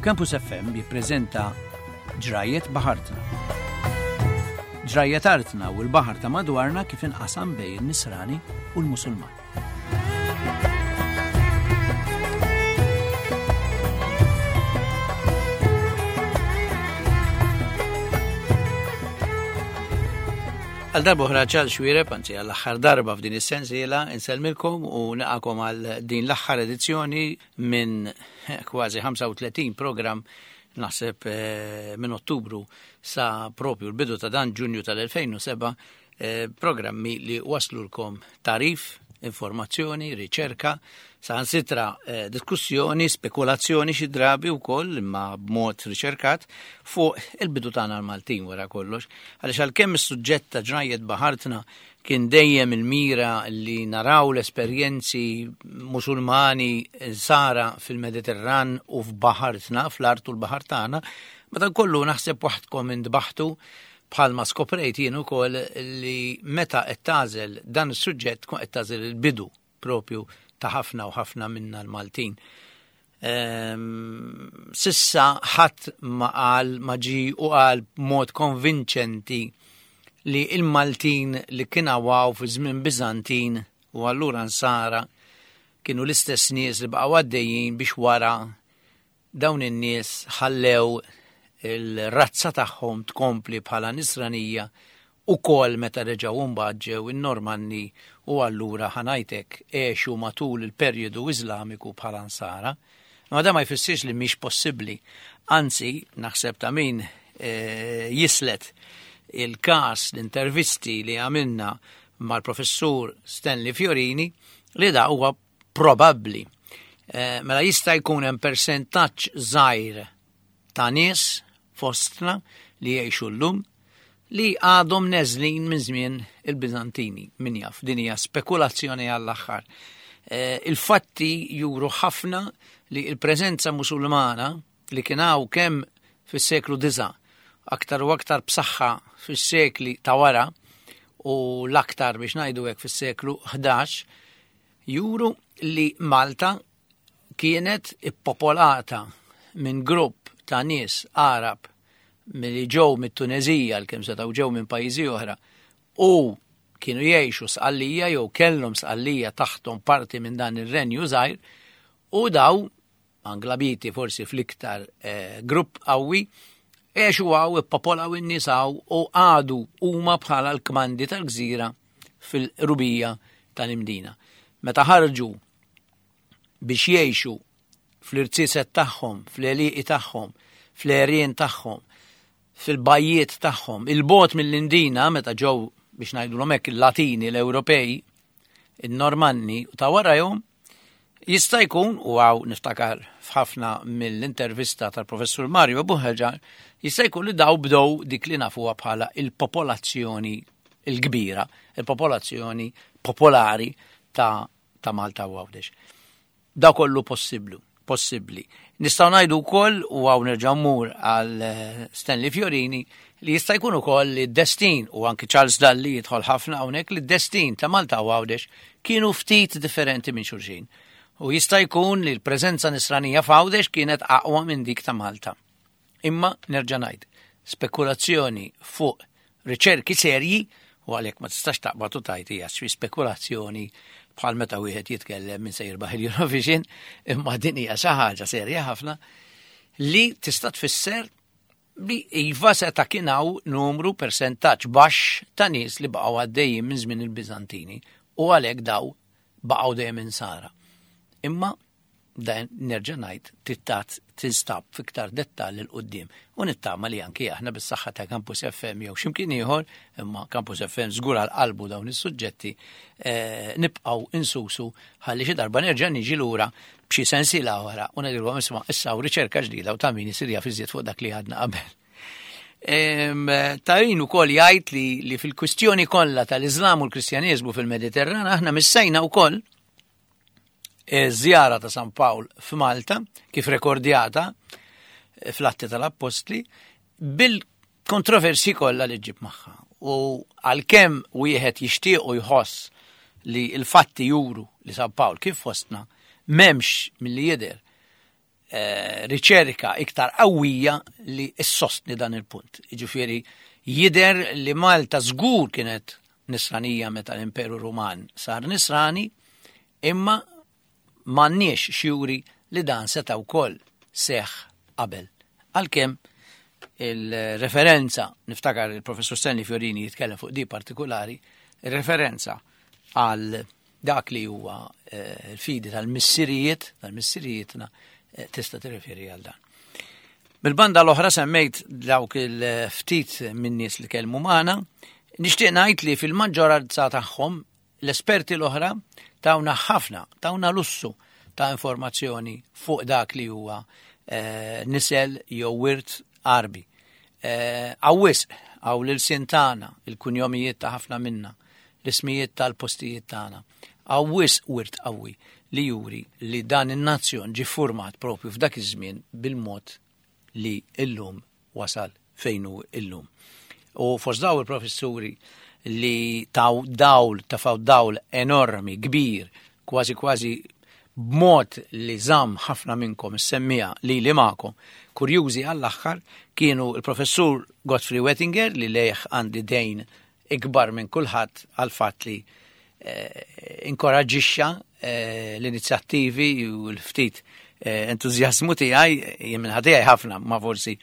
Campus FM jippreżenta Ġrajjet Baħartna. Ġrajjet artna u l-baħar ta' madwarna kif inqasam bejn in-Nisrani u l-Musulman. Għal darba oħra ċal xwireb, anzi għall aħħar darba f'din is-sensiela, insellmilkom u naqakom għal din l-aħħar edizzjoni minn kważi 35 program naħseb eh, minn Ottubru sa propju l-bidu ta' dan Ġunju tal-2007 eh, programmi li waslulkom tarif, informazzjoni, riċerka, saħansitra eh, diskussjoni, spekulazzjoni xi drabi wkoll imma b'mod riċerkat fuq il-bidu tagħna l-Maltin wara kollox. Għaliex għalkemm is-suġġett ta' ġrajjet baħartna kien dejjem il-mira li naraw l-esperjenzi musulmani sara fil-Mediterran u f'baħartna, fl-art u l-baħar tagħna, madankollu naħseb waħdkom intbaħtu bħalma skoprejt jien ukoll li meta qed tagħżel dan is-suġġett tkun qed tagħżel il-bidu propju ta' ħafna u ħafna minna l-Maltin. Ehm, sissa ħadd ma qal ma ġi u qal b'mod konvinċenti li il-Maltin li kien għawaw fi żmien Biżantin u allura nsara kienu l-istess nies li baqgħu għaddejjin biex wara Dawn in-nies ħallew il-razza tagħhom tkompli bħala Nisranija ukoll meta reġgħu mbagħad ġew in-Normanni u allura ħa ngħid hekk għexu matul il-perjodu Iżlamiku bħala Nsara. Imma dan ma jfissirx li mhix possibbli. Anzi, naħseb ta' min eh, jislet il-każ l-intervisti li għamilna mal-professur Stanley Fiorini li da huwa probabbli. Eh, mela jista' jkun hemm persentaġġ żgħir ta' nies fostna li jgħixu llum li għadhom neżlin minn żmien il-Biżantini, min jaf, din hija spekulazzjoni għall-aħħar. Eh, il-fatti juru ħafna li il-preżenza musulmana li kien hawn kemm fis-seklu 9 aktar u aktar b'saħħa fis-sekli ta' wara u l-aktar biex ngħidu hekk fis-seklu 11 juru li Malta kienet ippopolata minn grupp ta' nies Għarab li ġew mit-Tunezija l-kemm setgħu ġew minn pajjiżi oħra u kienu jgħixu Sqallija jew kellhom Sqallija taħthom parti minn dan ir-renju żgħir u daw Anglabiti forsi fl-iktar eh, grupp qawwi għexu għaw, ippopolaw in-nies għaw u għadu huma bħala l-kmandi tal-gżira fil-rubija tal-Imdina. Meta ħarġu biex jgħixu fl-irziezet tagħhom, fl-għelieqi tagħhom, fl-għerien tagħhom, fil-bajjiet tagħhom, il-bot mill-Indina meta ġew biex ngħidulhom hekk il-Latini, l-Ewropej, in-Normanni u ta' warajhom, jista' jkun, u għaw niftakar f'ħafna mill-intervista tal-professur Mario Buħeġar, jista' jkun li daw bdew dik li nafuha bħala il-popolazzjoni il-kbira, il-popolazzjoni popolari ta', ta Malta u Għawdex. Da kollu possiblu, possibbli. Nistgħu ngħidu wkoll u hawn nerġa' mmur għal eh, Stanley Fiorini li jista' jkun ukoll li d-destin u anki Charles Dalli jidħol ħafna hawnhekk li d-destin ta' Malta u Għawdex kienu ftit differenti minn xulxin. U jista' jkun li l-preżenza nisranija f'Għawdex kienet aqwa minn dik ta' Malta. Imma nerġa' ngħid, spekulazzjoni fuq riċerki serji u għalhekk ma tistax taqbad u tajt hija xi spekulazzjoni bħal meta wieħed jitkellem minn se jirbaħ il-Eurovision, imma din hija xi ħaġa serja ħafna li tista' tfisser li iva seta' kien hawn numru persentaġġ baxx ta' nies li baqgħu għaddejjin minn żmien il-Biżantini u għalhekk daw baqgħu dejjem insara. Imma dan nerġa' ngħid tittat tinstab fiktar dettall il quddiem u nittama li anki aħna bis-saħħa ta' Campus FM jew x'imkien ieħor, imma Campus FM żgur għal qalbu dawn is-suġġetti, eh, nibqgħu insusu ħalli xi darba nerġa' niġi lura b'xi sensiela oħra u ngħidilhom isma' issa hawn riċerka ġdida u ta' min isir jaf iżjed fuq dak li għadna qabel. Tarin ukoll jgħid li, li fil-kwistjoni kollha tal-Iżlam u l-Kristjaniżmu fil-Mediterran aħna missejna wkoll żjara ta' San Pawl f'Malta, kif rekordjata eh, fl-Atti tal-Appostli, bil-kontroversi kollha li ġib magħha. U għalkemm wieħed jixtieq u jħoss li l-fatti juru li San Pawl kif fostna m'hemmx milli jidher. riċerka iktar qawwija li ssostni dan il-punt. Jiġifieri jidher li Malta żgur kienet nisranija meta l-Imperu Ruman sar nisrani, imma m'għandniex xjuri li dan seta' wkoll seħħ qabel. Għalkemm il-referenza, niftakar il-professur Stanley Fiorini jitkellem fuq di partikolari, il-referenza għal dak li huwa eh, l-fidi tal-missirijiet, tal-missirijietna, eh, tista' tirreferi għal dan. Mil-banda l-oħra semmejt dawk il-ftit minn nies li kellmu magħna, nixtieq ngħid li fil-maġġoranza tagħhom l-esperti l-oħra tawna ħafna, tawna lussu ta' informazzjoni fuq dak li huwa eh, nisel jew wirt Għarbi. Hawn wisq, hawn l-ilsien tagħna, il-kunjomijiet ta' ħafna minna, l-ismijiet tal-postijiet tagħna. Hawn wisq wirt qawwi li juri li dan in-nazzjon ġie ffurmat propju f'dak iż-żmien bil-mod li illum wasal fejn hu illum. U fost daw il-professuri li taw dawl, tafaw dawl enormi, kbir, kważi kważi b'mod li żamm ħafna minnkom is-semmiegħa lili magħkom kurjużi għall-aħħar kienu l-Professur Godfrey Wettinger li lejh għandi dejn ikbar minn kulħadd għall-fatt li eh, inkoraġġixxa eh, l-inizjattivi u l-ftit eh, entużjażmu tiegħi jien minn tiegħi ħafna ma forsi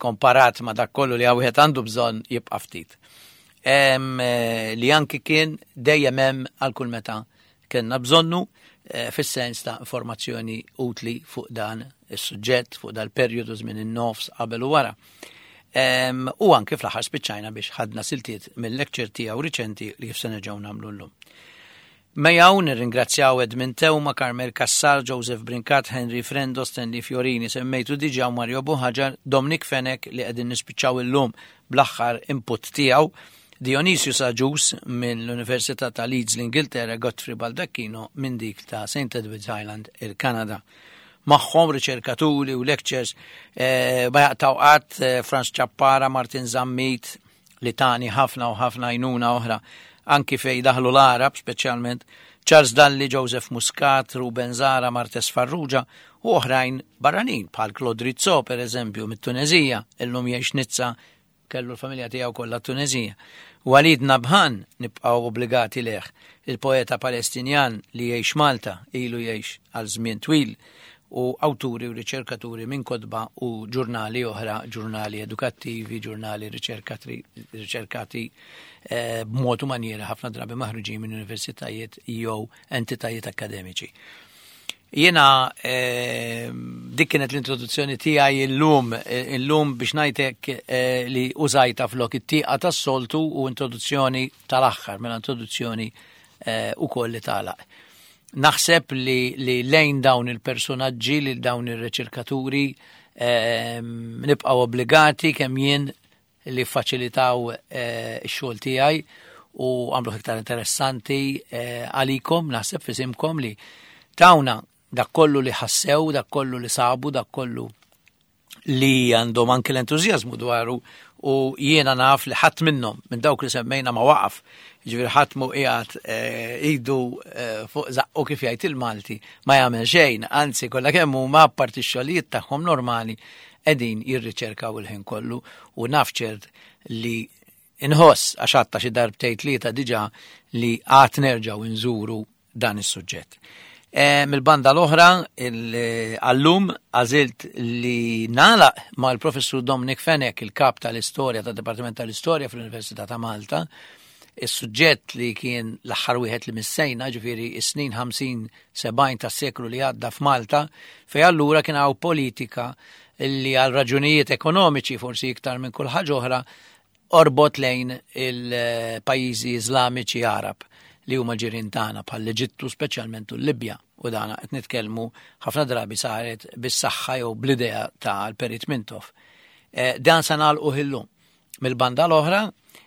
komparat ma dak kollu li wieħed għandu bżonn jibqa' ftit. Li anki kien dejjem hemm għal kull meta kellna bżonnu eh, fis-sens ta' informazzjoni utli fuq dan is-suġġett, fuq dal-perjodu żmien in-nofs qabel u wara. U anke fl-aħħar spiċċajna biex ħadna siltiet mill-lecture tiegħu riċenti li kif se nerġgħu nagħmlu llum. Mejaw nirringrazzjaw Edmund Teuma, Carmel Cassar, Joseph Brincat, Henry Frendo, Stanley Fiorini, semmejtu diġà Mario Buħaġar, Dominic Fenech li qegħdin nispiċċaw illum bl-aħħar input tiegħu, Dionysius Agius mill-Università ta' Leeds l-Ingilterra, Godfrey Baldacchino minn dik ta' St. Edward's Island il-Kanada. Magħhom riċerkaturi u lectures eh, ma jaqtaw qatt eh, Franz Ciappara, Martin Zammit, li tani ħafna u ħafna għajnuna oħra anki fej daħlu l-Arab speċjalment Charles Dalli, Joseph Muscat, Ruben Zara, Martes Farrugia u oħrajn barranin bħal Claude Rizzo per eżempju mit-Tunezija, illum jgħix Nizza Kellu l-familja tiegħu kollha t-Tuneżija. Walid Nabhan nibqgħu obbligati lejh, il-poeta Palestinjan li jgħix Malta, ilu jgħix għal żmien twil, u awturi u riċerkaturi minn kotba u ġurnali oħra, ġurnali edukattivi, ġurnali riċerkati eh, b'mod u manjiera ħafna drabi maħruġin minn universitajiet jew entitajiet akademiċi. Jiena eh, dik kienet l-introduzzjoni tiegħi illum, eh, illum biex ngħidlek eh, li użajta flok it-tieqa tas-soltu u introduzzjoni tal-aħħar, mela introduzzjoni ukoll li tagħlaq. Naħseb li, li lejn dawn il-personaġġi, li dawn ir-riċerkaturi nibqgħu obbligati kemm jien li ffaċilitaw eh, ix-xogħol tiegħi u għamluh iktar interessanti eh, għalikom, naħseb fisimkom li tawna dak kollu li ħassew, dak kollu li sabu, dak kollu li għandhom anki l-entużjażmu dwaru u jiena naf li ħadd minnhom minn dawk li semmejna ma waqaf. Ġifieri ħadd mu qiegħed eh, idu fuq zaqqu kif jgħid il-Malti ma jagħmel xejn, anzi kollha kemm huma apparti x-xogħlijiet tagħhom normali qegħdin jirriċerkaw il-ħin kollu u naf ċert li inħoss għax għadta xi darbtejn tlieta diġà li għad nerġgħu nżuru dan is-suġġett. E, Mill-banda l-oħra, għallum għażilt li nagħlaq mal-professur Dominic Fenech, il-kap tal-istorja tad-Dipartiment tal-Istorja fl-Università ta' Malta, is-suġġett li kien l-aħħar wieħed li missejna, ġifieri is-snin 50 70 tas-seklu li għadda f'Malta, fej allura kien hawn politika li għal raġunijiet ekonomiċi forsi iktar minn kull ħaġa oħra orbot lejn il-pajjiżi Iżlamiċi Arab li huma ġirien tagħna bħal l-Eġittu speċjalment u l-Libja u dana qed nitkellmu ħafna drabi saret bis-saħħa jew bl-idea tal-Perit Mintoff. Eh, dan se nagħlquh illum. Mill-banda l-oħra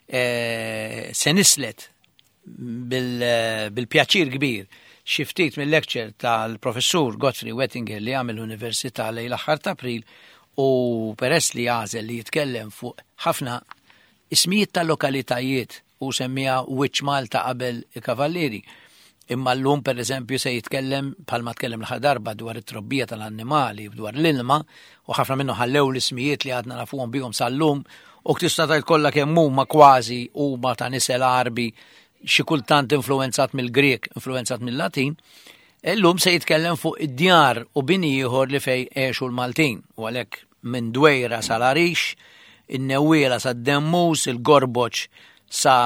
eh, se nislet bil-pjaċir kbir xi ftit mill-lecture tal-professur Godfrey Wettinger li għamel l-Università lejn l-aħħar ta' April u peress li għażel li jitkellem fuq ħafna ismijiet ta' lokalitajiet u semmija Wiċċ Malta qabel il-Kavallieri. Imma llum pereżempju se jitkellem bħalma tkellem l-aħħar darba dwar it-trobbija tal-annimali, dwar l-ilma, u ħafna minnu ħallew l-ismijiet li għadna nafuhom bihom sal-lum, u tista' tgħid kollha kemm huma kważi huma ta' nisel Għarbi xi kultant influwenzat mill-Grieg, influwenzat mill-Latin. Illum se jitkellem fuq id-djar u bini ieħor li fej għexu l-Maltin, u għalhekk minn Dwejra sal-Għarix, in-Newwiela sad-Demmus, il-Gorboċ sa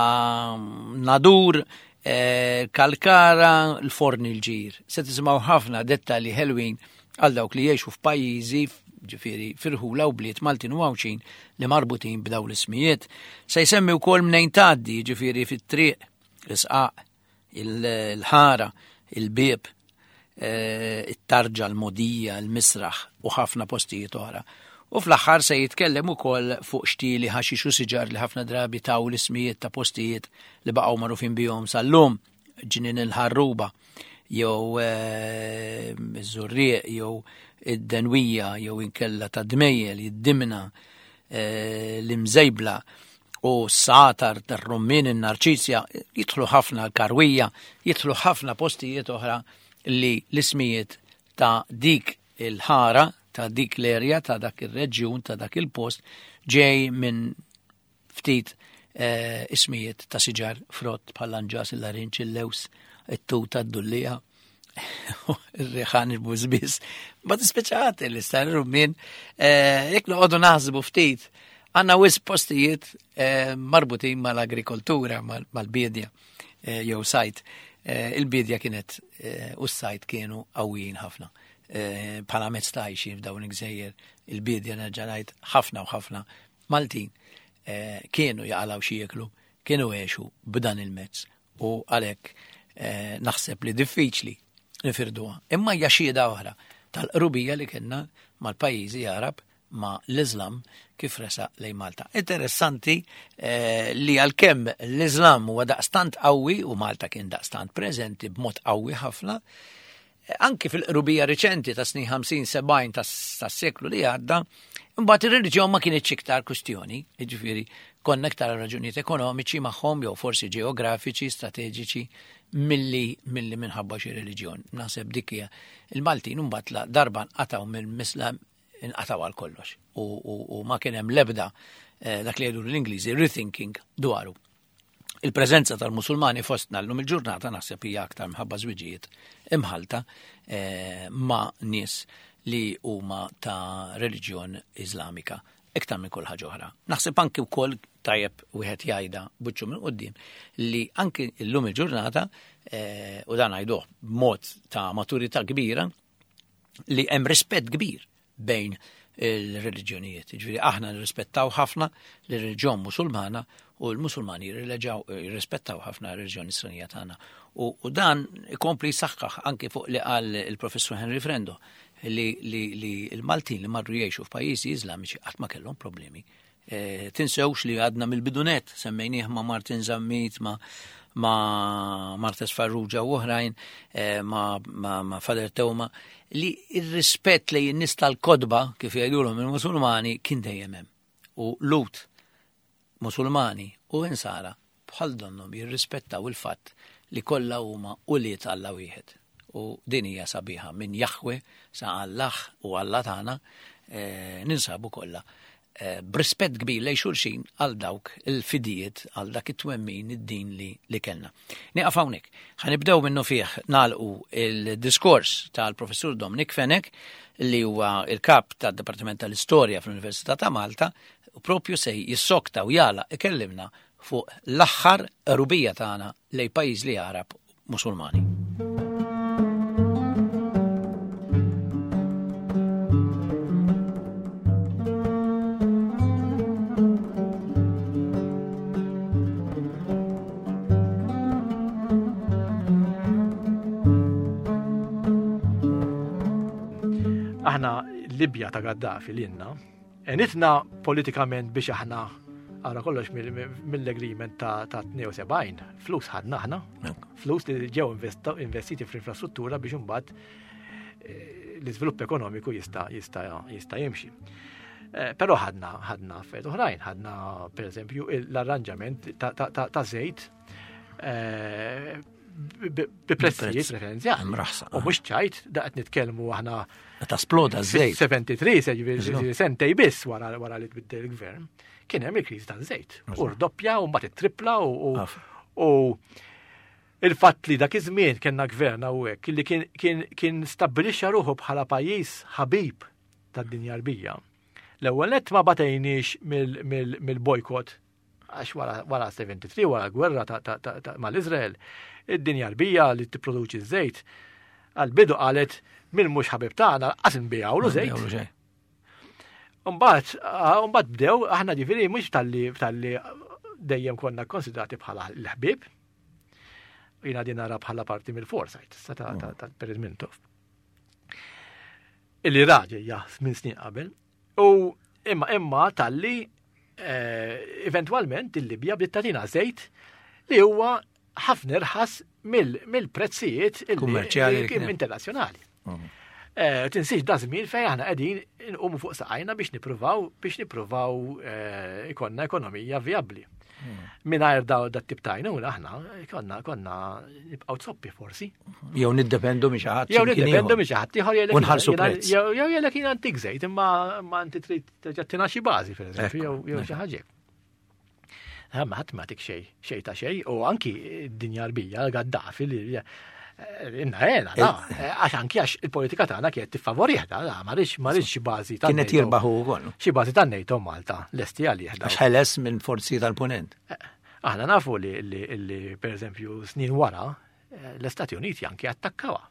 Nadur, eh, Kalkara, l-Forni l-Ġir. Se tisimgħu ħafna dettalji ħelwin għal dawk li jgħixu f'pajjiżi ġifieri firħula u bliet Maltin u Għawdxin li marbutin b'daw l-ismijiet. Se jsemmi wkoll mnejn tgħaddi, ġifieri fit-triq, l-isqaq, il-ħara, il-bieb, eh, it-tarġa, l-modija, l-misraħ u ħafna postijiet oħra. U fl-aħħar se jitkellem ukoll fuq xtieli ħaxix u siġar li ħafna drabi taw l-ismijiet ta' postijiet li baqgħu magħrufin bihom sal-lum, ġnien il-ħarruba, jew eh, iż-żurrieq, jew id-denwija, jew inkella ta' dmejjel, id-dimna, eh, l-imżejbla u s-satar, tar-rummin, in-narċisja, jidħlu ħafna l-karwija, jidħlu ħafna postijiet oħra li l-ismijiet ta' dik il-ħara, ta' dik l-erja, ta' dak il-reġjun, ta' dak il-post, ġej minn ftit eh, ismijiet ta' siġar frott bħal anġas, il-larinċ, il-lews, it-tuta, d-dullija. Ir-riħan il-bużbis. Ma tispeċat li star rummin, eh, jekk noqogħdu naħsbu ftit, għandna wis postijiet eh, marbutin mal-agrikoltura, mal-bidja eh, jew sajt. Il-bidja kienet u s-sajt kienu qawwijin ħafna. Bħala mezz ta' għajxin f'dawn il-gżejjer, il-bidja nerġa' ngħid ħafna u ħafna Maltin kienu jaqalgħu xi jieklu, kienu għexu b'dan il-mezz u għalhekk eh, naħseb li diffiċli nifirduha. Imma hija xhieda oħra tal-qrubija li kellna mal-pajjiżi Arab ma l-Islam kif resa lejn Malta. Interessanti eh, li għalkemm l-Islam huwa daqstant qawwi u Malta kien daqstant preżenti b'mod qawwi ħafna, eh, anki fil-qrubija riċenti ta' snin 50-70 tas-seklu li għadda, imbagħad ir-reliġjon ma kienitx iktar kwistjoni, jiġifieri konna iktar raġunijiet ekonomiċi magħhom jew forsi ġeografiċi, strateġiċi milli milli minħabba xi reliġjon. Naħseb dik hija il-Maltin imbagħad la darba nqatgħu mill-Islam inqatgħu għal kollox u, u, u ma kien hemm l-ebda eh, dak li jgħidu l-Ingliżi rethinking dwaru. Il-preżenza tal-Musulmani fostna llum il-ġurnata naħseb hija aktar mħabba żwiġijiet imħalta eh, ma' nies li huma ta' reliġjon Iżlamika iktar minn kull ħaġa oħra. Naħseb anki wkoll tajjeb wieħed jgħidha buċċu minn quddiem li anki llum il-ġurnata eh, u dan ngħiduh b'mod ta' maturità kbira li hemm rispett kbir bejn il-reliġjonijiet. Ġifieri aħna nirrispettaw ħafna l-reliġjon Musulmana u l-Musulmani jirrispettaw ħafna r-reliġjon Nisranija tagħna. U, u dan ikompli jsaħħaħ anki fuq li qal il-professur Henry Frendo li, li, li l-Maltin li marru jgħixu f'pajjiżi Iżlamiċi qatt ma kellhom problemi. E, tinsewx li għadna mill-bidunet, semmejnieh ma' Martin Zammit, ma' ma' Martes Farrugia u oħrajn, e, ma', ma, ma Fader Teuma, li il-rispett li n-nies tal-kodba, kif jgħidulhom il-Musulmani, kien dejjem hemm. U Lut, Musulmani u Insara bħal donnhom jirrispettaw il-fatt li kollha huma ulied Alla wieħed. U din hija sabiħa minn Jahwe sa Allah u Alla tagħna eh, ninsabu kollha eh, b'rispett kbir lejn xulxin għal dawk il-fidijiet għal dak it-twemmin id-din li, li kellna. Nieqaf hawnhekk. Ħa nibdew minnu fih nagħlqu il-diskors tal-Professur Dominic Fenech li huwa il-kap tad-Dipartiment tal-Istorja fl-Università ta' Malta u propju se jissokta u jagħlaq ikellimna fuq l-aħħar qrubija tagħna lejn pajjiż li Għarab Musulmani. Aħna Libja ta' Gaddafi l-inna, enitna politikament biex aħna għara kollox mill-agreement ta' 72, flus ħadna aħna, flus li ġew investiti fl-infrastruttura biex imbagħad eh, l-iżvilupp ekonomiku jista' jista' jista' jimxi. Eh, però ħadna ħadna affarijiet oħrajn, ħadna pereżempju l-arranġament ta' żejt eh, bi prezzijiet preferenzjali. Mraħsa. U mhux ċajt, da qed nitkellmu aħna Meta sploda ż-żejt. 73 se jiġifieri sentej biss wara wara li tbiddel il-gvern, kien hemm il-kriżi taż-żejt. U rdoppja u mbagħad ittripla u u il-fatt li dak iż-żmien kellna gvern hawnhekk li kien kien kien stabbilixxa ruħu bħala pajjiż ħabib tad-dinja Arbija. L-ewwel nett ma batejniex mill-bojkott għax wara, wara 73, wara gwerra mal-Izrael, id-dinja Arbija li tipproduċi ż-żejt, għal-bidu qalet min mhux ħabib tagħna qas nbigħulu żejt. Mbagħad, mbagħad bdew aħna ġifieri mhux talli talli dejjem konna konsidrati bħala l-ħbieb. Jiena din nara bħala parti mill-foresight ta' ta' Perit Mintoff. Illi raġel minn snin qabel. U imma imma talli eh, eventwalment il-Libja bdiet tagħtina żejt li huwa ħafna irħas mill-prezzijiet kummerċjali internazzjonali. Mhm. Eh, tinsiex da żmien fejn aħna qegħdin inqumu fuq saqajna biex nippruvaw biex nippruvaw eh, ikonna ekonomija vijabbli. Mhm. Mingħajr daw dat tip ta' għajnuna aħna konna konna nibqgħu zoppi forsi. Jew niddependu minn xi ħadd. Jew niddependu minn xi ħadd ieħor jgħidlek. Unħallsu prezz. Jew jgħidlek jien antik żejt imma ma inti trid terġa' tina xi bażi pereżempju jew jew xi ħaġa. Ma ħadd ma tik xejn, xejn ta' xejn u anki d-dinja Arbija Gaddafi li eh, Inna għena, da, eh, għax anki għax il-politika tagħna kienet tiffavorih da, ma rridx ma rridx xi bażi ta' Kienet jirbaħu wkoll. Xi bażi ta' NATO Malta lesti għalih. Għax ħeles minn forzi tal-punent. Eh, aħna nafu li, li, li per eżempju snin wara l-Istati Uniti anki attakkawa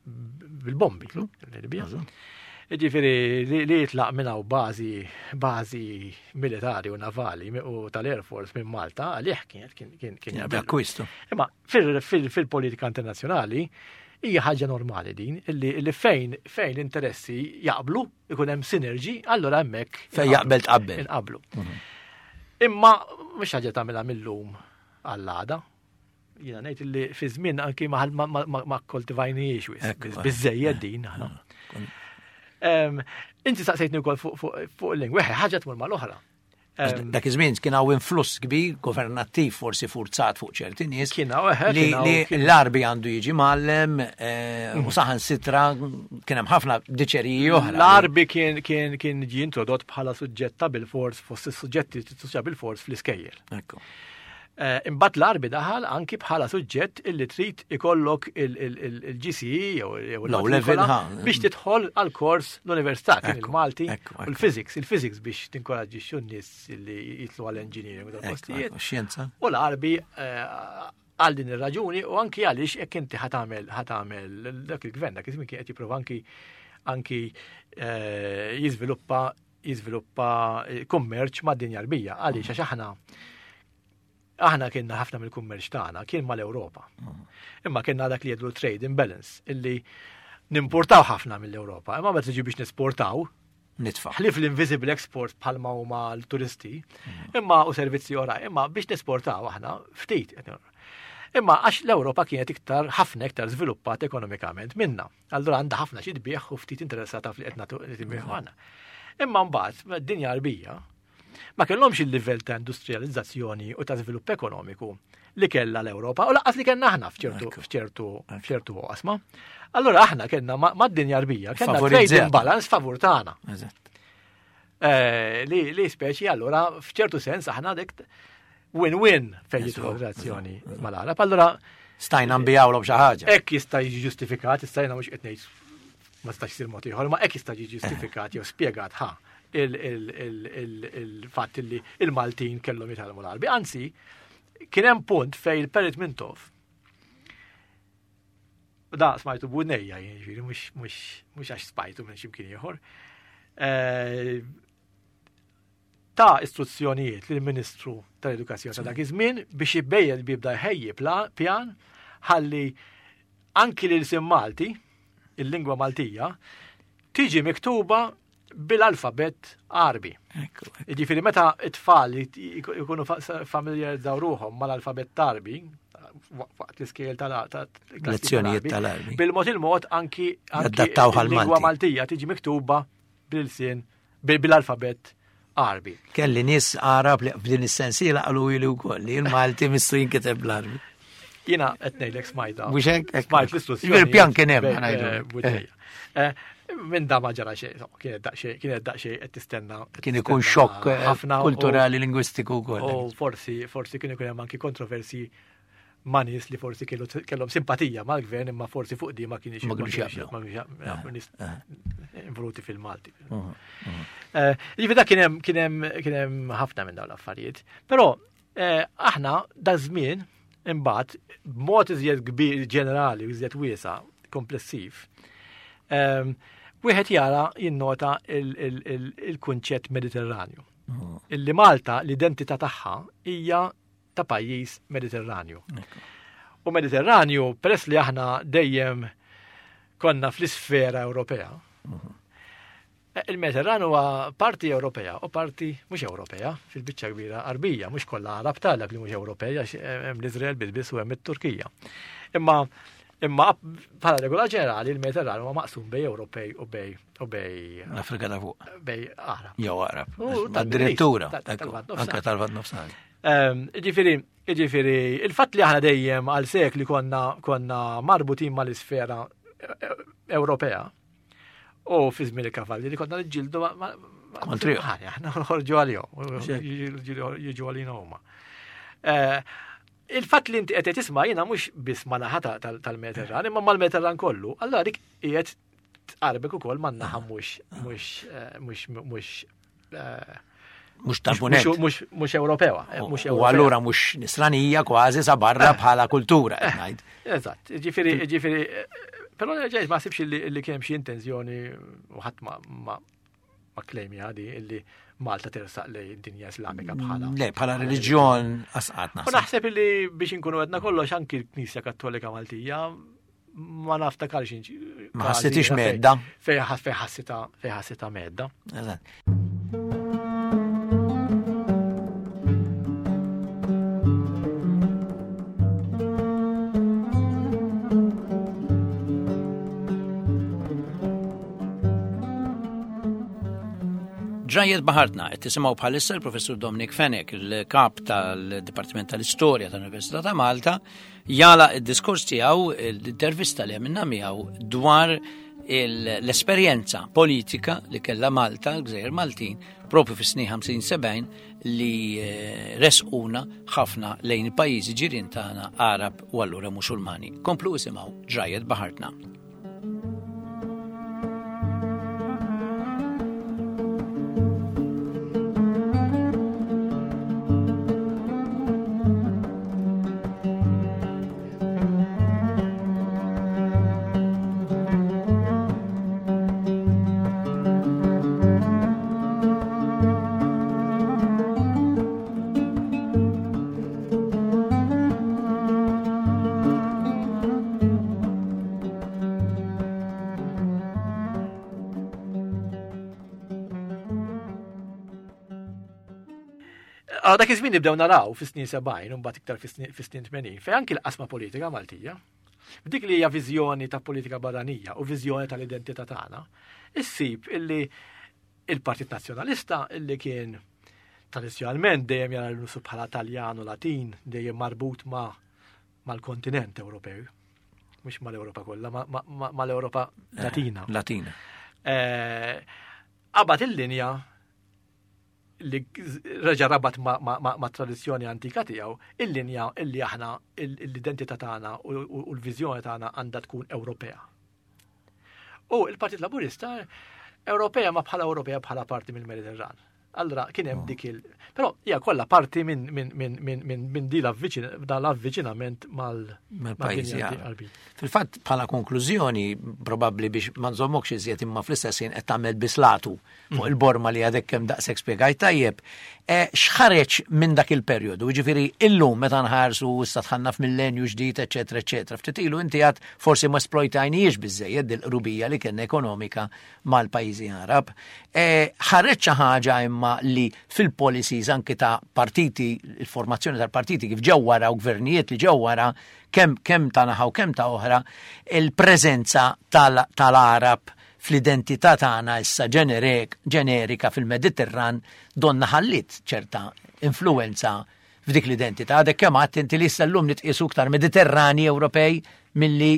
bil-bombi. Libja. Ġifiri, li jitlaq minn hawn bażi bażi militari u navali u tal-Air Force minn Malta, għalih kien kien kien akkwistu. Imma fil-politika internazzjonali hija ħaġa normali din li fejn fejn l-interessi jaqblu, ikun hemm sinerġi, allura hemmhekk fejn jaqbel tqabbel. Inqablu. Mhm. Imma mhux ħaġa tagħmilha mill-lum għall-għada. Jiena ngħid li fi żmien anki ma, ma, ma, ma koltivajniex wis, biżejjed din aħna. Inti saqsejtni wkoll fuq il-lingwa, ħaġa tmur mal-oħra. Dak iż-żmien kien hawn influss kbir governattiv forsi forzat fuq ċerti nies. Kien hawn li l-Arbi għandu jiġi mgħallem eh, u saħan sitra kien hemm ħafna diċeriji oħra. L-Arbi kien kien kien ġie introdott bħala suġġett ta' bil-fors fost is-suġġetti ta' bil-fors fl-iskejjel. Ekku. Eh, imbagħad l-Arbi daħal anki bħala suġġett illi trid ikollok il-GCE jew l level biex tidħol għal kors l-università kien il-Malti u l-physics, il-physics biex tinkoraġġixxu n-nies li jitlu għal engineering u dal-postijiet. Xjenza. U l-Arbi eh, għal din ir-raġuni u anki għaliex jekk inti ħatamel ħatamel dak il-gvern dak iż-żmien kien qed jipprova anki anki eh, jiżviluppa jiżviluppa kummerċ mad-dinja Arbija. Għaliex għax aħna aħna kienna ħafna mill-kummerċ tagħna kien mal-Ewropa. Imma kienna dak li jgħidu trade imbalance illi nimportaw ħafna mill-Ewropa. Imma meta tiġi biex nesportaw, nitfa'. Ħlief l-invisible export bħalma huma l-turisti, imma u servizzi oħra, imma biex nesportaw aħna ftit. Imma għax l-Ewropa kienet iktar ħafna iktar żviluppat ekonomikament minna. Allura għandha ħafna xi tbieħ u ftit interessata fli qed nagħtu li tbieħ għandna. Imma mbagħad dinja Arbija ma kellhomx il-livell ta' industrializzazzjoni u ta' żvilupp ekonomiku li kellha l-Ewropa u laqqas li kellna aħna f'ċertu f'ċertu f'ċertu qasma. Allura aħna kellna mad-dinja Arbija kellna trade imbalance favur tagħna. Eh, li li speċi allura f'ċertu sens aħna dik win-win fejn jidħol relazzjoni mal-Arab. Allura stajna nbijawlhom xi ħaġa. Hekk jista' jiġi ġustifikat, stajna mhux qed ngħid ma stax isir mod ieħor, ma hekk jista' jiġi ġustifikat jew spjegat ħa il-fatt li il-Maltin kellhom jitgħallmu l-Arbi. Anzi, kien hemm punt fejn il-Perit Mintoff Da smajtu b'udnejja, jiġifieri mhux għax spajtu minn x'imkien ieħor. Eh, ta' istruzzjonijiet lill ministru tal-Edukazzjoni ta' dak iż-żmien biex ibejjel bibda jħejji pjan ħalli anki l-ilsien Malti, il-lingwa Maltija, tiġi miktuba bil-alfabett Għarbi. Jiġifieri meta t-tfal jkunu familjarizzaw ruħhom mal-alfabett Għarbi, waqt l-iskejjel tal-lezzjonijiet tal-Għarbi. Bil-mod il-mod anki adattaw lingwa Maltija tiġi miktuba bil-sien bil-alfabett Għarbi. Kelli nies Għarab li f'din is-sensiela qalu ili wkoll li l-Malti missu jinkiteb bl-Għarbi. Jiena qed ngħidlek smajta. Mhux hekk? Smajt l-istruzzjoni. Il-pjan kien hemm ngħidu. Eh, eh, minn da ma ġara xejn, kienet daqsxejn, kienet daqsxejn qed tistenna. Kien ikun xokk eh, ħafna kulturali lingwistiku wkoll. U forsi, forsi kien ikun hemm anki kontroversi ma' nies li forsi kellhom simpatija mal-gvern imma forsi fuq di ma kienx ma kienx jaqblu. Nies involuti fil-Malti. Eh, ġifieri dak kien hemm kien hemm kien hemm ħafna minn dawn l-affarijiet. Però eh, aħna da żmien imbagħad b'mod iżjed kbir ġenerali u iżjed wiesa' komplessiv, ehm, wieħed jara jinnota il-kunċett Mediterranju. Illi Malta l-identità tagħha hija ta' pajjiż Mediterranju. U Mediterranju, peress li aħna dejjem konna fl-isfera Ewropea, mhm. eh, il-Mediterran huwa parti Ewropea u parti mhux Ewropea, fil-biċċa kbira Arbija, mhux kollha Arab talab li mhux Ewropea, hemm l-Iżrael biss u hemm it-Turkija. Imma imma bħala regola ġenerali il-Mediterran huwa maqsum bej Ewropej u bej U bej. L-Afrika ta' fuq. Bej Arab. Jew Arab. Addirittura. Anka tal-Lvant Nofsinhar. Ehm, ġifieri, ġifieri, il-fatt li aħna dejjem għal sekli konna konna marbutin mal-isfera eh, eh, Ewropea u fi żmien il-kavalli li konna niġġieldu Kontri. Aħna nħorġu għalihom, jiġu għalina huma. Eh, il-fatt li inti qed tisma' jiena mhux biss ma' naħa tal-Mediterran, imma mal-Mediterran kollu, allura dik qiegħed tqarbek ukoll man-naħa mhux mhux eh, mhux mhux eh, mhux tal-punent. Mhux Ewropewa. Eh, mhux U allura mhux nisranija kważi sa barra bħala kultura qed ngħid. Eżatt, ġifieri ġifieri però ġejt ma sibx li kien hemm xi intenzjoni u ħadd ma ma klejmi għadi illi Malta tersaq lej dinja Islamika bħala. Le, bħala reliġjon asqat naħseb. U naħseb illi biex inkunu għedna kollox anki l-Knisja Kattolika Maltija ma naftakarx inġi. Ma ħassitix medda. Fej ħassita fej ħassita medda. Eżatt. Ġrajiet baħartna qed tisimgħu bħalissa l-Professur Dominic Fenech, il-kap tal-Dipartiment tal-Istorja tal-Università ta' Malta, Jagħlaq id-diskors tiegħu l-intervista li għamilna miegħu dwar l-esperjenza politika li kellha Malta, l-Gżejjer Maltin, propju fis-snin 50-70 li eh, resquna ħafna lejn il-pajjiżi ġirien tagħna Arab u allura Musulmani. Komplu isimgħu ġrajet baħartna. Ah, dak iż-żmien nibdew naraw fis-snin 70 u mbagħad iktar fis-snin 80 fejn anki l-qasma politika Maltija, f'dik li hija viżjoni ta' politika barranija u viżjoni tal-identità tagħna, issib illi il-Partit Nazzjonalista illi kien tradizzjonalment dejjem jara l-nusu bħala Taljan u Latin, dejjem marbut ma' mal-kontinent Ewropew, mhux mal-Ewropa kollha, mal-Ewropa eh, Latina. Latina. Eh, qabad il-linja li reġa' rabat ma' tradizzjoni antika tiegħu, il-linja illi aħna l-identità tagħna u l-viżjoni tagħna għandha tkun Ewropea. U il-Partit Laburista Ewropea ma bħala Ewropea bħala parti mill-Mediterran. Allora kien hemm dik il. Però hija kollha parti minn min, min, min, min, min di l-avviċinament mal-pajjiżi Għarbi. Fil-fatt bħala konklużjoni probabbli biex ma nżommokx iżjed imma fl-istess ħin qed tagħmel bislatu fuq mm. il-borma li għadek kemm daqshekk spjegajt tajjeb. E, x'ħareġ minn dak il-perjodu? Jiġifieri illum meta nħarsu issa tħanna f'millenju ġdid, eċetera, eċetera. Ftit ilu inti għad forsi ma splojtajniex biżejjed dil-qrubija li kellna ekonomika mal-pajjiżi Arab. E, ħareġ xi ħaġa imma li fil-policies anki ta' partiti, il-formazzjoni tal-partiti kif ġew wara u gvernijiet li ġew wara, kemm kemm ta' naħa u kemm ta' oħra, il-preżenza tal-Arab fl-identità tagħna issa ġenerika fil-Mediterran donna ħalliet ċerta influenza. f'dik l-identità. Għadek kemm għadt inti li issa llum nitqisu iktar Mediterrani Ewropej milli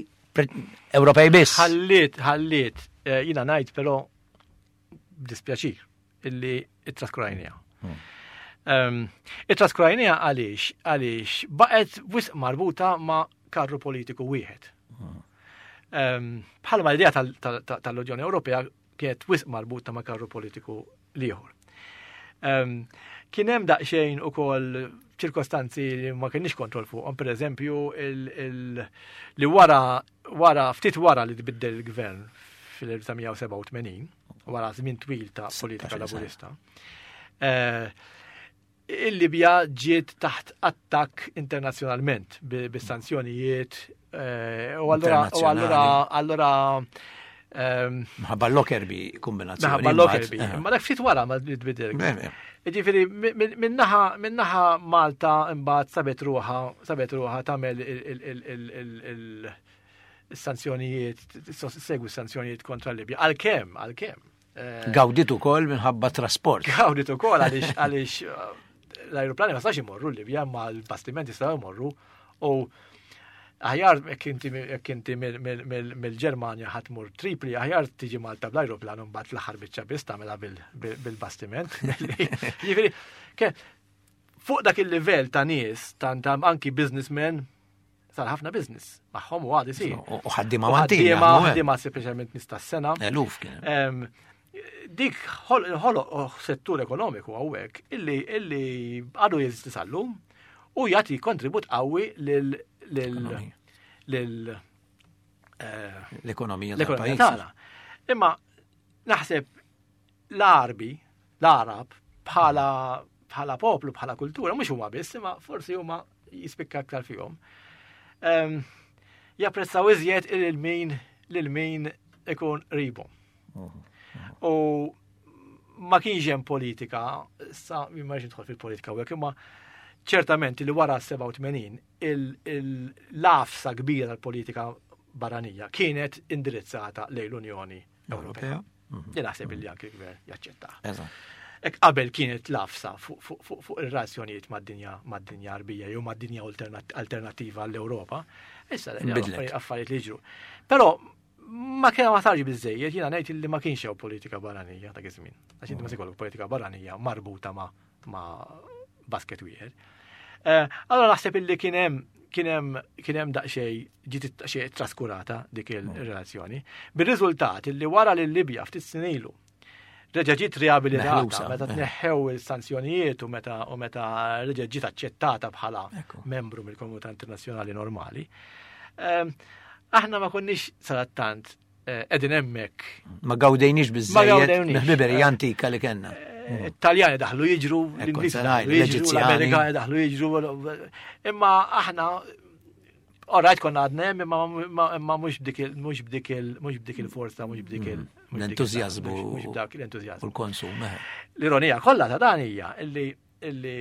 Ewropej biss. Ħalliet, ħalliet, eh, jina ngħid però dispjaċir illi it-traskurajnija. Hmm. It-traskurajnija għaliex, għaliex baqgħet wisq marbuta ma' karru politiku wieħed. Hmm. Bħalma l-idea tal-Unjoni Ewropea kienet wisq marbuta ma' karru politiku liħor. Kien hemm daqsxejn ukoll ċirkostanzi li ma kienx kontroll fuqhom, per eżempju, li wara wara ftit wara li tbiddel il-gvern fil-1987, wara żmien twil ta' politika laburista, eh, il-Libja ġiet taħt attakk internazzjonalment bis-sanzjonijiet eh, u allura allura allura ehm, Mħabba l-Lockerbie kombinazzjoni. Mħabba l-Lockerbie. Eh. Ma dak ftit wara ma tbidel. Ġifieri minnaħa minnaħa Malta imbagħad sabet ruħa sabet ruħa tagħmel il-sanzjonijiet segwi sanzjonijiet kontra Libja. Għalkemm, għalkemm. Eh, Gawdit ukoll minħabba trasport. Gawdit ukoll għaliex għaliex eh, l-ajruplani ma stax imorru l-Libja ma l-bastimenti staw imorru u aħjar jekk inti mill-Ġermanja ħadd mur Tripli, aħjar tiġi Malta bl-ajruplan u mbagħad l-aħħar biċċa biss tagħmilha bil-bastiment. Jiġifieri, fuq dak il-livell ta' nies, ta' anki businessmen, sar ħafna business magħhom u għad isir. U ħaddiema Maltin. Ħaddiema speċjalment nies tas-sena. Eluf kien. Dik ħoloq settur ekonomiku hawnhekk illi illi għadu jeżisti sal-lum u jagħti kontribut qawwi lil lil eh, l-ekonomija tagħna. Imma naħseb l-Arbi, l-Arab, bħala bħala poplu, bħala kultura, mhux huma biss, imma forsi huma jispikka aktar fihom. Ehm, japprezzaw iżjed il-min lil min ikun qribhom. U ma kienx hemm politika, sa ma rridx nidħol fil-politika u imma ċertament li wara 87 l-għafsa kbira tal-politika barranija kienet indirizzata lejn l-Unjoni Ewropea. Mhm. Li naħseb li anke l-gvern jaċċetta. Ek qabel kienet lafsa fuq ir-razzjonijiet mad-dinja mad-dinja Arbija jew mad-dinja alternattiva għall-Ewropa. Issa affarijiet li ġru. Però ma kien ma sarx biżejjed, jiena ngħid li ma kienx hawn politika barranija dak iż-żmien. Għax inti ma se politika barranija marbuta ma' ma' basket wieħed. Eh, allora naħseb illi kien hemm kien hemm kien hemm daqsxejn ġiet daqsxejn traskurata dik il-relazzjoni. Bir-riżultat illi wara li Libja ftit snin ilu reġa' ġiet riabilitata meta eh. tneħħew il-sanzjonijiet u meta u meta reġa' ġiet aċċettata bħala membru mill-komunità internazzjonali normali. Ehm, aħna ma konniex sarattant Eh, edin emmek. Ma gawdejniex biżżejjed mill-ħbiberija antika li kellna. Eh, Taljani daħlu jiġru, l-Ingliż daħlu jiġru, l-Amerikani daħlu jiġru, imma aħna Alright, konna għadna hemm, imma mhux b'dik mhux b'dik mhux b'dik il-forza, mhux b'dik il l-entużjażmu. Mhux b'dak l-entużjażmu. U l-konsum. Eh. L-ironija kollha ta' dan hija illi illi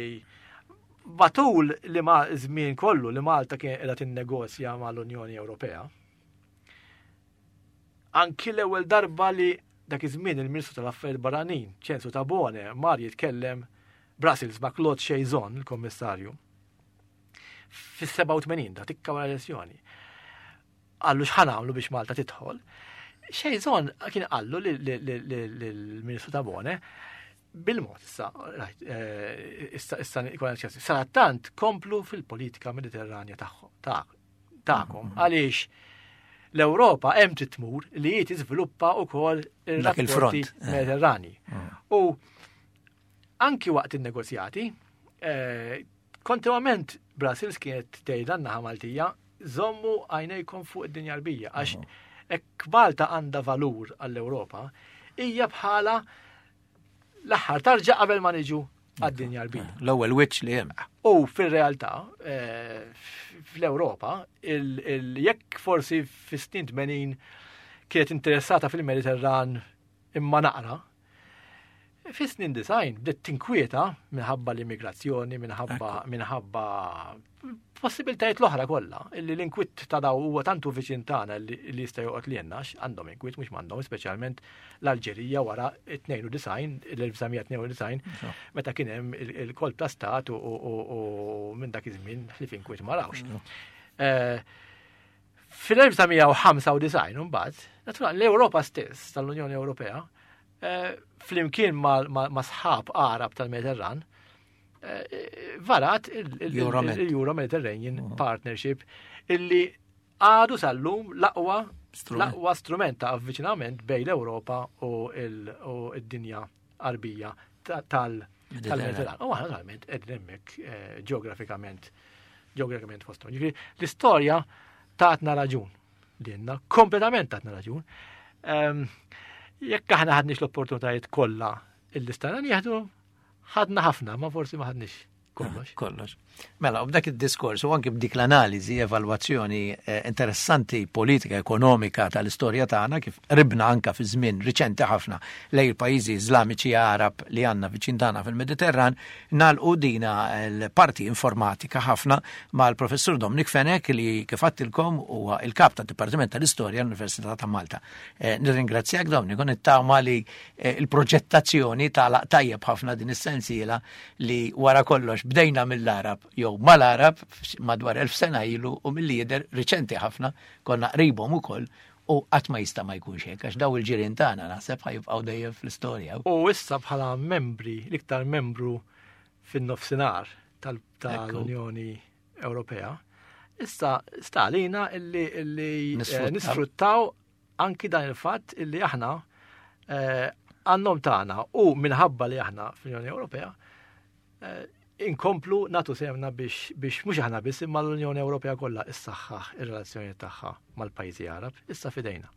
matul li ma żmien kollu li Malta kien qiegħda tinnegozja mal-Unjoni Ewropea, Anki l-ewwel darba li dak iż-żmien il-Ministru tal-Affarijiet Barranin, Ċensu Tabone, mar jitkellem Brussels ma' Claude Cheysson, il-Kommissarju, fis-87 da tikka wara elezzjoni. Qallu x'ħa nagħmlu biex Malta tidħol. Cheysson kien qallu lill-Ministru Tabone bil-mod issa, eh, issa issa sarattant komplu fil-politika mediterranja tagħhom tagħkom mm-hmm. għaliex l-Ewropa hemm trid tmur li hi tiżviluppa wkoll ir-rapporti eh. Mediterrani. Mm. U anki waqt in-negozjati, eh, kontinuament Brussels kienet tgħidha naħa Maltija, żommu għajnejkom fuq id-dinja rbija għax mm. hekk Malta għandha valur għall-Ewropa, hija bħala l-aħħar tarġa qabel ma niġu għad-dinja l-bija. L-ewwel wiċċ li hemm. U fil-realtà, eh, fl-Ewropa, jekk forsi fis-snin 80 kienet interessata fil-Mediterran imma naqra, Fis-snin design bdiet tinkwieta minħabba l-immigrazzjoni, minħabba minħabba possibiltajiet l-oħra kollha, illi l-inkwiet ta' daw huwa tantu viċin tagħna li jista' joqgħod li jennax, għandhom inkwiet mhux m'għandhom, speċjalment l-Alġerija wara 92, l-1992, meta kien hemm il-kolp ta' stat u minn dak iż-żmien ħlief inkwiet ma rawx. Eh, fil-1995 mbagħad, naturalment l-Ewropa stess tal-Unjoni Ewropea, eh, flimkien ma' sħab Arab tal-Mediterran, eh, varat il-Euro Mediterranean mhm. Partnership illi għadu sal-lum l-aqwa l-aqwa strument ta' avviċinament bejn l-Ewropa u id-dinja qarbija tal-Mediterran. U aħna naturalment qegħdin hemmhekk eh, ġeografikament ġeografikament fosthom. Ġifieri l-istorja tatna raġun dinna, kompletament tatna raġun. Ehm, jekk aħna ħadniex l-opportunitajiet kollha illi stajna nieħdu, ħadna ħafna, ma forsi ma ħadniex kollox. Kollox. Mela, u b'dak id-diskors u anki b'dik l-analiżi, evalwazzjoni eh, interessanti politika, ekonomika tal-istorja tagħna kif ribna anka fi żmien riċenti ħafna lej il-pajjiżi Iżlamiċi Arab li għandna viċin tagħna fil-Mediterran, nagħlqu dina l-parti informatika ħafna mal-professur Dominic Fenech li kif għattilkom huwa il-kap tad-Dipartiment tal-Istorja l-Università ta' Malta. Eh, nirringrazzjak Dominic u nittama li eh, il-proġettazzjoni tagħlaq tajjeb ħafna din is-sensiela li wara kollox bdejna mill-Arab jew mal-Arab madwar elf sena ilu u milli jidher riċenti ħafna konna qribhom ukoll u qatt ma jista' ma jkunx hekk għax daw il-ġirien tagħna naħseb ħajibqgħu dejjem fl-istorja. U issa bħala membri, l-iktar membru fin-nofsinhar tal-Unjoni Ewropea, issa sta għalina illi eh, nisfruttaw anki dan il-fatt illi aħna eh, għannom tagħna u minħabba li aħna fl-Unjoni Ewropea eh, inkomplu natu semna biex biex mhux aħna biss imma l-Unjoni Ewropea kollha issaħħaħ ir-relazzjoni tagħha mal-pajjiżi Arab issa fidejna.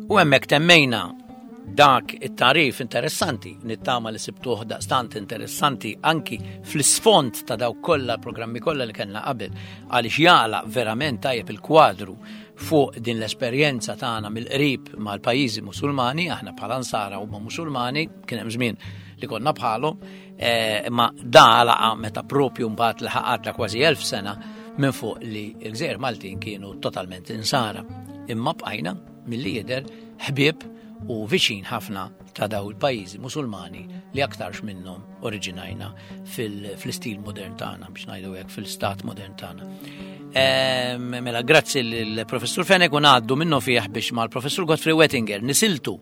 U hemmhekk temmejna dak it-tarif interessanti, nittama li sibtuh daqstant interessanti anki fl-isfond ta' dawk kollha programmi kollha li kellna qabel għaliex jagħlaq verament tajjeb il-kwadru fuq din l-esperjenza tagħna mill-qrib mal-pajjiżi Musulmani, aħna bħala Nsara huma Musulmani, kien hemm żmien li konna bħalhom, eh, imma da laqa meta propju mbagħad li ħaqadna kważi elf sena minn fuq li l-gżejjer Maltin kienu totalment insara. Imma bqajna milli jidher ħbieb u viċin ħafna ta' daw il-pajjiżi Musulmani li aktarx minnhom oriġinajna fil-istil modern tagħna biex ngħidu hekk fil-stat modern tagħna. Mela, grazzi l-professur Fenek u ngħaddu minnu fih biex mal-professur Godfrey Wettinger nisiltu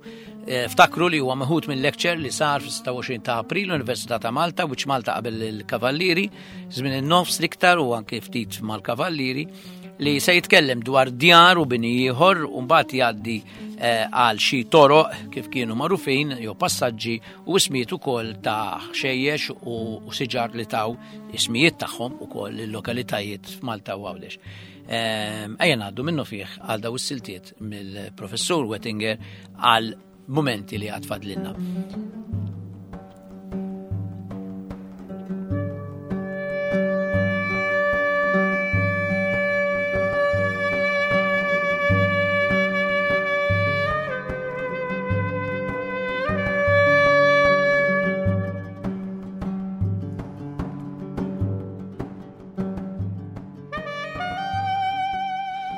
eh, ftakru li huwa meħud minn lecture li sar fis-26 ta' April l-Università ta' Malta, which Malta qabel il-Kavallieri, żmien in-nofs l-iktar u anke ftit mal-Kavallieri li se jitkellem dwar djar u bini ieħor u mbagħad jgħaddi eh, għal xi toroq kif kienu magħrufin jew passaġġi u ismijiet ukoll ta' ħxejjex u siġar li taw ismijiet tagħhom ukoll il-lokalitajiet f'Malta u Għawdex. Ehm, ejja ngħaddu minnu fih għal daw is-siltiet mill-professur Wettinger għal mumenti li għad fadlinna.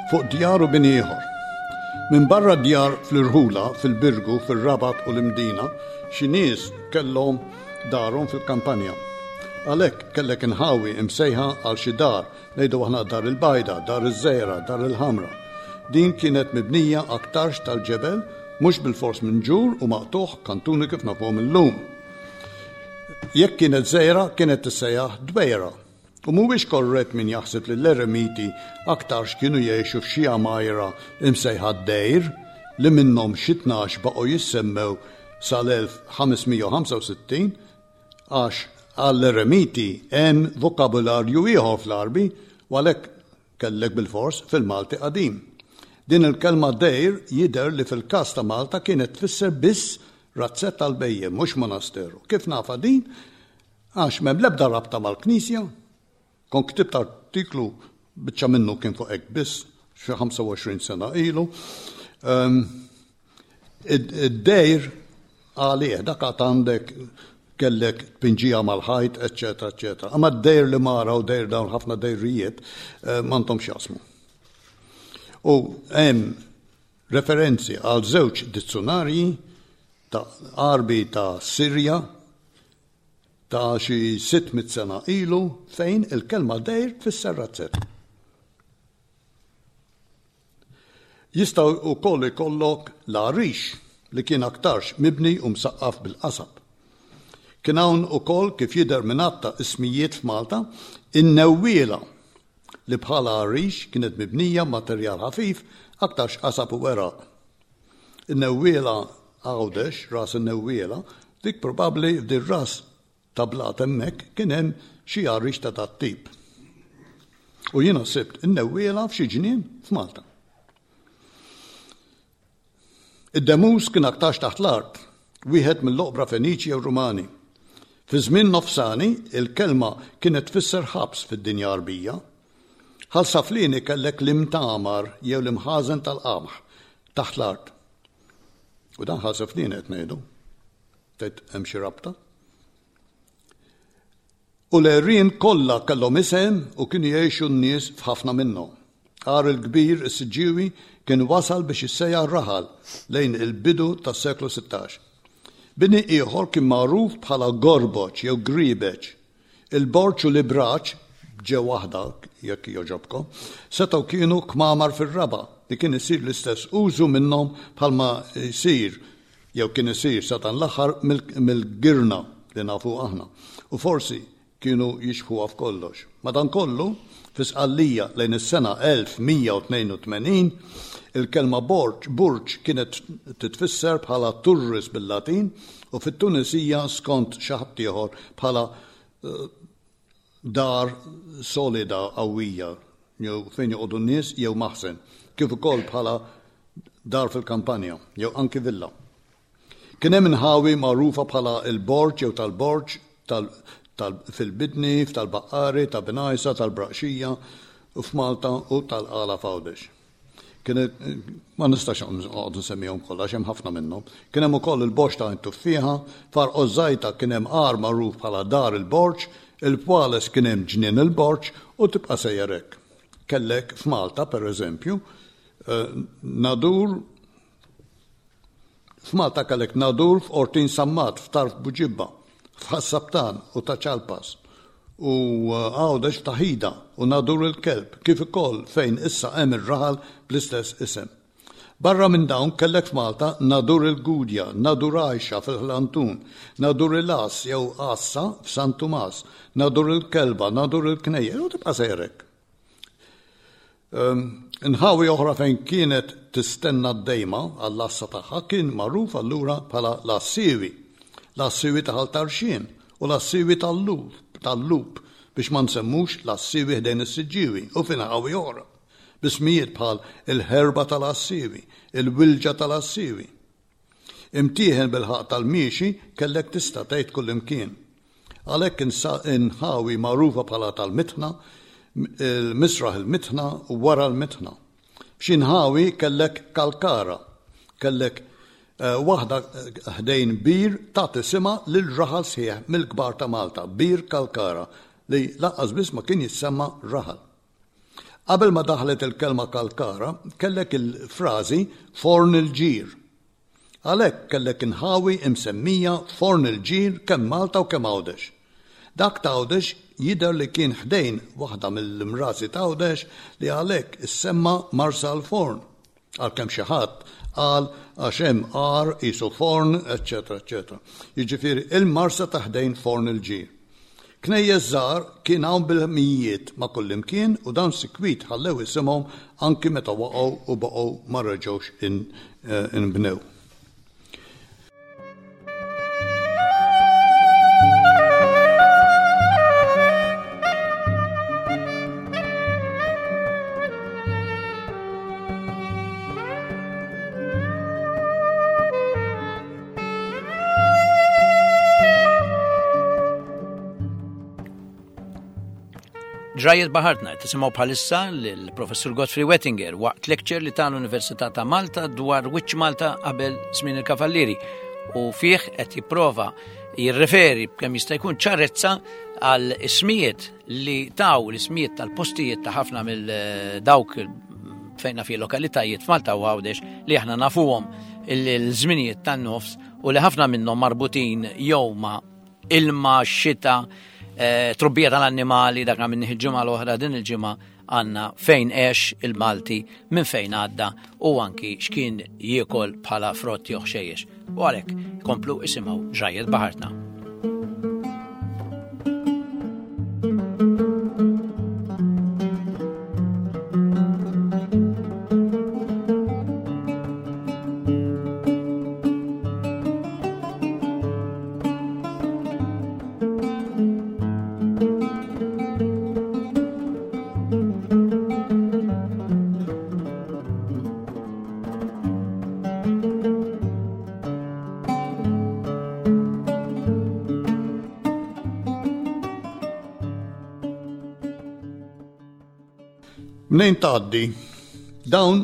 Fuq djar u bini ieħor. Minbarra djar fl-irħula, fil-Birgu, fir-Rabat u l-Imdina, xi nies kellhom darhom fil-kampanja. Għalhekk kellek inħawi imsejħa għal xi dar, ngħidu aħna Dar il-Bajda, Dar iż-Żejra, Dar il-Ħamra. Din kienet mibnija aktarx tal-ġebel, mhux bilfors minn ġur u maqtugħ kantuni kif nafuhom illum. Jekk kienet żgħira kienet tissejjaħ dwejra. U mhuwiex korrett min jaħseb li l-eremiti aktarx kienu jgħixu f'xi għamajra imsejħa d-dejr, li minnhom xi 12 baqgħu jissemmew sal-1565, għax għall-eremiti hemm vokabularju ieħor fl-Għarbi u għalhekk Kellek bilfors fil-Malti qadim. Din il-kelma dejr jidher li fil-każ ta' Malta kienet tfisser biss razzett għall-bhejjem, mhux monasteru. Kif nafha din? Għax m'hemm l-ebda rabta mal-Knisja. Kont ktibt artiklu, biċċa minnu kien fuq hekk biss, xi 25 sena ilu. Ehm, id-dejr għalih, dak għad għandek kellek tpinġija mal-ħajt, eċċetera, eċċetera. Imma d-dejr li mara u dejr dawn ħafna dejrijiet eh, m'għandhomx jasmu. U hemm referenzi għal żewġ dizzunarji ta' Għarbi ta' Sirja ta' xi 600 sena ilu fejn il-kelma dejr tfisser razzett. Jista' wkoll ikollok l-għarix li kien aktarx mibni u msaqqaf bil-qasab. Kien hawn ukoll kif jidher minn għadd ta' ismijiet f'Malta, in-newwiela li bħala għarix kienet mibnija b'materjal ħafif aktarx qasab u weraq. In-newwiela Għawdex, ras in-newwiela, dik probabbli f'dir-ras ta' blat hemmhekk kien hemm xi għarix ta' dat-tip. U jiena sibt in-newwiela f'xi ġnien f'Malta. Id-demus kien aktarx taħt l-art, wieħed mill-oqbra Feniċi jew Rumani. Fi żmien nofsani, il-kelma kienet tfisser ħabs fid-dinja Għarbija. Ħal Saflieni kellek l-imtamar jew l-imħażen tal-qamħ taħt l-art. U dan Ħal Saflieni qed ngħidu. Tgħid hemm xi rabta? U l-għerien kollha kellhom isem u kienu jgħixu n-nies f'ħafna minnhom. Għar il-Kbir is-Siġġiewi kien wasal biex jissejjaħ raħal lejn il-bidu tas-seklu 16. Bini ieħor kien magħruf bħala Gorboġ jew Griebeġ. Il-borġ u l-ibraġ, b'ġe waħda jekk jogħġobkom, setgħu kienu kmamar fir-raba' li kien isir l-istess użu minnhom bħalma jsir jew kien isir sa dan l-aħħar mill-girna li nafu aħna, u forsi kienu jixbħuha f'kollox. Madankollu, fi Sqallija lejn is-sena 1182, il-kelma borġ, burġ kienet titfisser bħala turris bil-Latin u fit-Tunisija skont xi ħaddieħor bħala dar solida qawwija jew fejn joqogħdu n-nies jew maħżen, kif ukoll bħala dar fil-kampanja jew anki villa. Kien hemm inħawi magħrufa bħala l-Borġ jew tal-Borġ, tal, tal, fil-Bidni, f'Tal-Baqqari, ta' Bengħajsa, tal-Braqxija f'Malta u tal-Qala f'Għawdex. Kien ma nistax noqgħod nsemmihom kollha għax hemm ħafna minnhom. Kien hemm ukoll il-Borġ ta' Tuffiħa, f'Għar Qożżajta kien hemm għar magħruf bħala Dar il-Borġ, il-Pwales kien hemm Ġnien il-Borġ u tibqa' sejjer hekk. Kellek f'Malta, pereżempju, eh, Nadur F'Malta kellek Nadur f'Qortin Sammat, f'Tarf Buġibba, f'Ħas-Saptan u Ta' Ċalpas, u Għawdex f'Ta' Ħida u Nadur il-Kelb, kif ukoll fejn issa hemm ir-raħal bl-istess isem. Barra minn dawn kellek f'Malta Nadur il-Gudja, Nadur Għajxa fil-Ħlantun, Nadur il-Għass jew Għassa f'San Tumas, Nadur il-Kelba, Nadur il-Knejjes, u tibqa' sejjer hekk. Inħawi oħra fejn kienet tistenna d-dejma għall-għassa tagħha kien magħruf allura bħala l-għassiewi, l-għassiewi ta' Ħal Tarxien u l-għassiewi tal-Lup biex ma nsemmux l-għassiewi ħdejn is-Siġġiewi u f'inħawi oħra b'ismijiet bħal il-Ħerba tal-Għassiewi, il-Wilġa tal-Għassiewi. Imtieħen bil-ħaqq tal-miexi kellek tista' tgħid kullimkien. Għalhekk inħawi magħrufa bħala tal-Mitħna, il-Misraħ il-Mitħna u wara l-Mitħna. F'xi nħawi kellek kalkara, kellek eh, waħda ħdejn bir tagħti isimha lil raħal sħiħ mill-kbar ta' Malta, Bir Kalkara, li lanqas biss ma kien jissemma raħal. Qabel ma daħlet il-kelma kalkara, kellek il-frażi forn il-ġir. Għalhekk kellek inħawi imsemmija forn il-ġir kemm Malta u kemm Għawdex. Dak t'Għawdex jidher li kien ħdejn waħda mill-imrażi t'Għawdex li għalhekk issemma Marsa l-Forn. Għalkemm xi ħadd qal għax hemm għar qisu forn, eċċetera eċċetera. Jiġifieri il-marsa ta' ħdejn forn il-ġir. Knejjes żgħar kien hawn bil-mijiet ma' kullimkien u dawn sikwit ħallew isimhom anki meta waqgħu u baqgħu ma reġgħux inbnew. Ġrajjiet Baħartna qed tisimgħu bħalissa lill-Professur Godfrey Wettinger waqt lecture li ta l-Università ta' Malta dwar Wiċċ Malta qabel żmien il-Kavallieri u fih qed jipprova jirreferi b'kemm jista' jkun ċarezza għal ismijiet li taw l-ismijiet tal-postijiet ta' ħafna mill eh, dawk fejna fi lokalitajiet f'Malta u Għawdex li aħna nafuhom il-żminijiet tan-nofs u li ħafna minnhom marbutin jew ma' ilma, xita, eh, trobbija tal-annimali, dak minn il-ġimgħa l-oħra din il-ġimgħa għandna fejn għex il-Malti, minn fejn għadda u anki x'kien jiekol bħala frott jew ħxejjex. U għalhekk komplu isimgħu ġrajjet baħartna. Mnejn tgħaddi dawn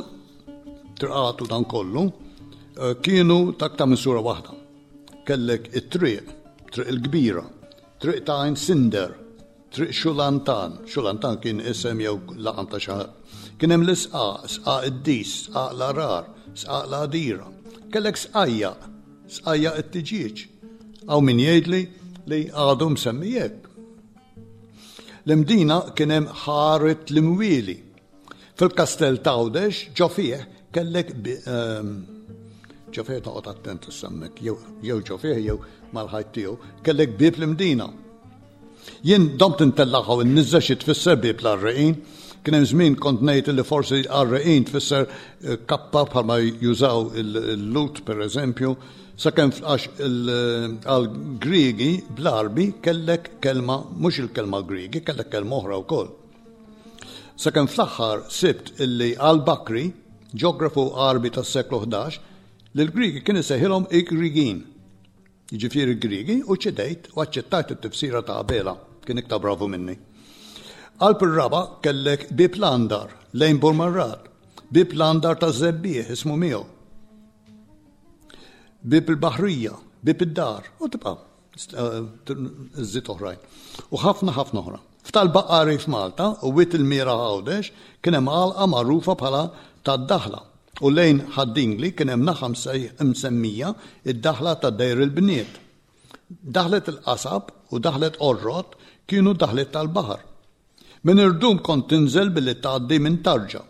triqatu dan kollu eh, kienu takta minn sura waħda. Kellek it-triq, Triq il-Kbira, Triq ta' Għajn Sinder, Triq Xulantan, Xulantan kien isem jew laqam ta' xi ħadd. Kien hemm l-Isqaq, Sqaq id-Dis, Sqaq l-Għarar, Sqaq l-Għadira. Kellek Sqajjaq, Sqajjaq it-Tiġieġ. Hawn min jgħidli li għadu msemmi hekk. L-Imdina kien hemm Ħaret l-Imwieli. Fil-Kastell t'Għawdex ġo fih kellek ehm, ġo fih toqgħod attent issemmek jew ġo fih jew mal-ħajt tiegħu, kellek bieb l-Imdina. Jien domt intellaħaw in-niżża xi tfisser bieb l-għarreqin. Kien hemm żmien kont ngħid li forsi għarreqin tfisser eh, kappa bħalma jużaw il-lut pereżempju, sakemm għax għal-Griegi bl-Arbi kellek kelma, mhux il-kelma Griegi, kellek kelma oħra wkoll. Sakemm fl-aħħar sibt illi al-Bakri, ġeografu Għarbi tas-seklu 11, lill-Griegi kien isejħilhom il-Griegin. Jiġifieri Griegi u ċedejt u aċċettajt it-tifsira ta' Abela, kien iktar bravu minni. Qalb ir-raba' kellek Bieb l-Andar lejn Burmarrad, Bieb l-Andar taż-Żebbiegħ ismu miegħu. Bieb il-Baħrija, Bieb id-Dar u tibqa' żżid oħrajn. U ħafna ħafna oħra. F'tal-Baqari f'Malta u Wied il-Mira Għawdex kien hemm għalqa magħrufa bħala tad-Daħla u lejn Ħad-Dingli kien hemm naħa msemmija d-Daħla ta' Dejr il-Bniet. Daħlet il-Qasab u Daħlet Qorrot kienu daħliet tal-baħar. Minn irdum kont tinżel billi tgħaddi minn tarġa.